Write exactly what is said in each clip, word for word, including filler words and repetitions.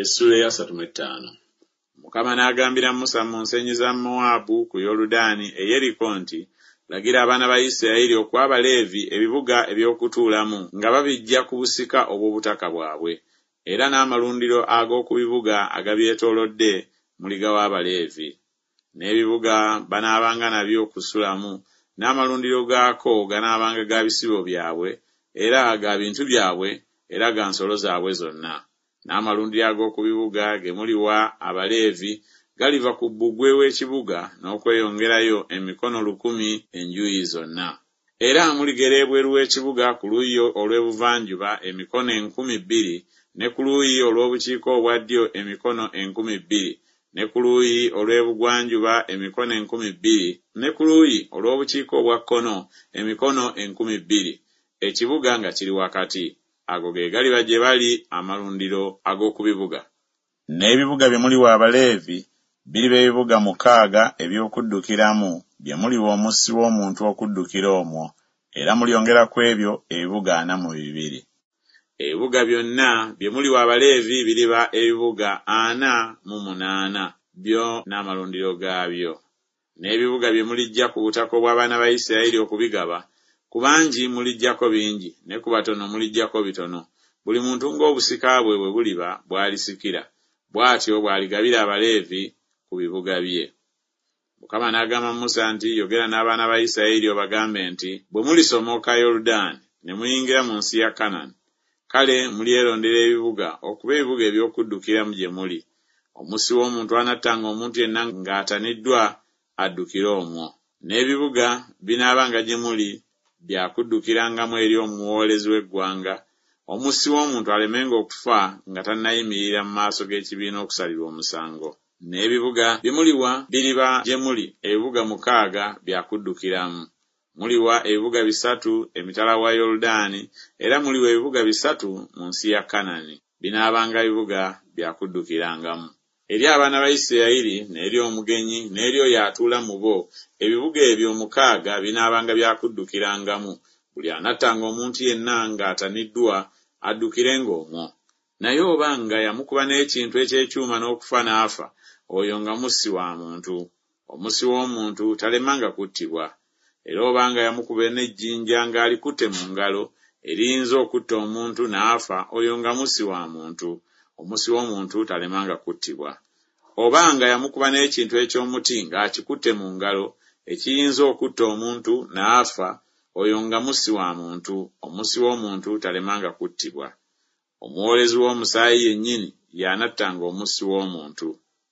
Essuula ey'asatu mu ettaano. Mukama n'agambira Musa mu nsenyi za Mowaabu ku Yoludaani e Yeriko nti, Lagira abaana ba Isirayiri okuwa Abaleevi ebibuga eby'okutuulamu nga babiggya ku busika obw'obutaka bwabwe, era n'amalundiro ag'oku bibuga agabyetoolodde muligawa Abaleevi. N'ebibuga banaabanga nabyo okusulamu, n'amalundiro gaako ganaabanga ga bisibo byabwe, era ga bintu byabwe, era ga nsolo zaabwe zonna. N'amalundiro ag'oku bibuga ge muliwa Abaleevi galiva ku bbugwe w'ekibuga n'okweyongerayo emikono lukumi enjuuyi zonna. Era muligera ebweru w'ekibuga ku luuyi olw'ebuvanjuba emikono enkumi bbiri, ne ku luuyi olw'obukiika obwa ddyo emikono enkumi bbiri, ne ku luuyi olw'ebugwanjuba emikono enkumi bbiri, ne ku luuyi olw'obukiika obwa kkono emikono enkumi bbiri, ekibuga nga kiri wakati. Ago ge galiba gye bali amalundiro ag'oku bibuga. N'ebibuga bye muliwa Abaleevi biriba ebibuga mukaaga eby'okuddukiramu bye muliwa omussi w'omuntu okuddukira omwo, era mulyongera ku ebyo ebibuga ana mu bibiri. Ebibuga byonna bye muliwa Abaleevi biriba ebibuga ana mu munaana, byo n'amalundiro gaabyo. N'ebibuga bye muliggya ku butaka obw'abaana ba Isirayiri okubigaba, ku bangi muliggyako bingi, ne ku batono muliggyako bitono. Buli muntu ng'obusika bwe bwe buliba bw'alisikira, bw'atyo bw'aligabira Abaleevi ku bibuga bye. Mukama n'agamba Musa nti, Yogera n'abaana ba Isirayiri obagambe nti, Bwe mulisomoka Yoludaani ne muyingira mu nsi ya Kanani, kale mulyerondera ebibuga okuba ebibuga eby'okuddukiramu gye muli. Omussi w'omuntu anattanga omuntu yenna ng'ataniddwa addukire omwo. N'ebibuga binaabanga gye muli bya kuddukirangamu eri omuwoolezi w'eggwanga, omussi w'omuntu alemenga okufa nga tannayimirira mu maaso g'ekibiina okusalirwa omusango. N'ebibuga bye muliwa biriba gye muli ebibuga mukaaga bya kuddukiramu. Muliwa ebibuga bisatu emitala wa Yoludaani, era muliwa ebibuga bisatu mu nsi ya Kanani. Binaabanga bibuga bya kuddukirangamu. Eri abaana ba Isirayiri n'eri omugenyi n'eri oyo atuula mu bo, ebibuga ebyo mukaaga binaabanga bya kuddukirangamu. Buli anattanga omuntu yenna ng'ataniddwa addukirenga omwo. Naye oba nga yamukuba n'ekintu eky'ekyuma n'okufa n'afa, oyo nga mussi wa muntu. Omussi w'omuntu talemanga kuttibwa. Era obanga yamukuba n'ejjinja ng'alikutte mu ngalo, eriyinza okutta omuntu n'afa, oyo nga mussi wa muntu. Omussi w'omuntu talemanga kuttibwa. Obanga yamukuba n'ekintu eky'omuti ng'akikutte mu ngalo, ekiyinza okutta omuntu n'afa, oyo nga mussi wa muntu. Omussi w'omuntu talemanga kuttibwa. Omuwoolezi w'omusaayi yennyini y'anattanga omussi w'omuntu.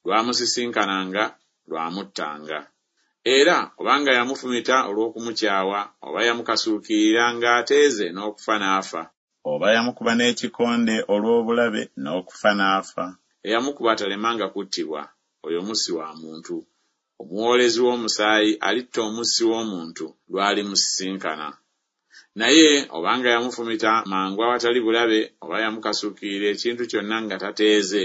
Lwamusisinkananga, lwamuttanga. Era obanga yamufumita olw'okumukyawa, oba yamukasuukirira ng'ateeze n'okufa n'afa, oba yamukuba n'ekikonde olw'obulabe n'okufa n'afa, eyamukuba talemanga kuttibwa, oyo mussi wa muntu. Omuwoolezi w'omusaayi alitta omussi w'omuntu lw'alimusisinkana. Naye obanga yamufumita mangu awatali bulabe, oba yamukasuukirira ekintu kyonna nga tateeze,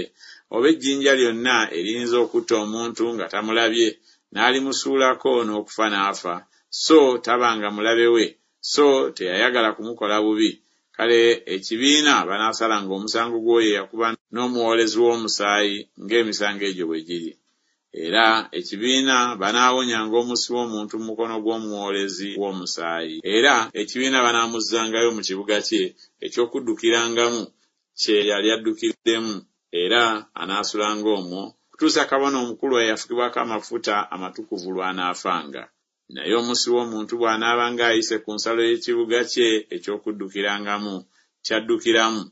oba ejjinja lyonna eriyinza okutta omuntu nga tamulabye, n'alimusuulako n'okufa n'afa, so tabanga mulabe we, so teyayagala kumukola bubi, kale ekibiina banaasalanga omusango gw'oyo eyakuba n'omuwoolezi w'omusaayi ng'emisango egyo bwe giri. Era ekibiina banaawonyanga omussi w'omuntu mu mukono gw'omuwoolezi w'omusaayi. Era ekibiina banaamuzzangayo mu kibuga kye eky'okuddukirangamu kye yali addukiddemu, era anaasulanga omwo kutuusa kabona omukulu eyafukibwako amafuta amatukuvu lw'anaafanga. Naye omussi w'omuntu bw'anaabanga ayise ku nsalo y'ekibuga kye eky'okuddukirangamu ky'addukiramu,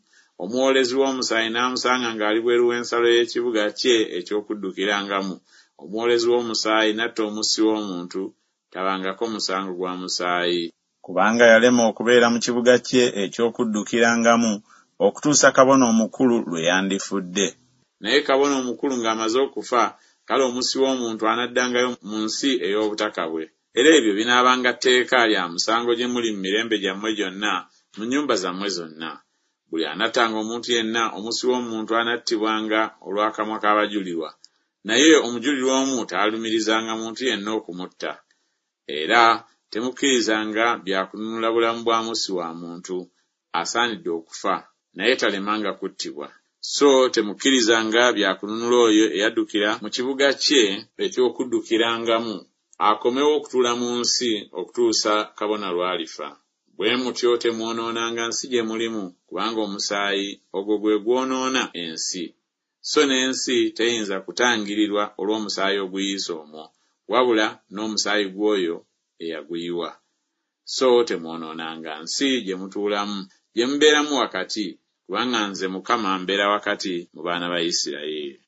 omuwoolezi w'omusaayi n'amusanga ng'ali bweru w'ensalo y'ekibuga kye eky'okuddukirangamu, omuwoolezi w'omusaayi n'atta omussi w'omuntu, tabangako musango gwa musaayi. Kubanga yalema okubeera mu kibuga kye eky'okuddukirangamu okutuusa kabona omukulu lwe yandifudde. Naye kabona omukulu ng'amaze okufa, kale omussi w'omuntu anaddangayo mu nsi ey'obutaka bwe. Era ebyo binaabanga tteeka lya musango gye muli mu mirembe gyammwe gyonna, mu nnyumba zammwe zonna. Buli anattanga omuntu yenna, omussi w'omuntu anattibwanga olw'akamwa k'abajulirwa. Naye omujulirwa omu taalumirizanga muntu yenna okumutta. Era temukkirizanga bya kununula bulamu bwa mussi wa muntu, asaanidde okufa, naye talemanga kuttibwa. So temukkirizanga bya kununula oyo eyaddukira mu kibuga kye eky'okuddukirangamu, akomewo okutuula mu nsi okutuusa kabona lw'alifa. Bwe mutyo temwonoonanga nsi gye mulimu, kubanga omusaayi ogwo gwe gwonoona ensi. So n'ensi teyinza kutangirirwa olw'omusaayi oguyiise omwo, wabula n'omusaayi gw'oyo eyaguyiwa. So temwonoonanga nsi gye mutuulamu, gye mubeeramu wakati, kubanga nze Mukama mbeera wakati mu baana ba Isirayiri.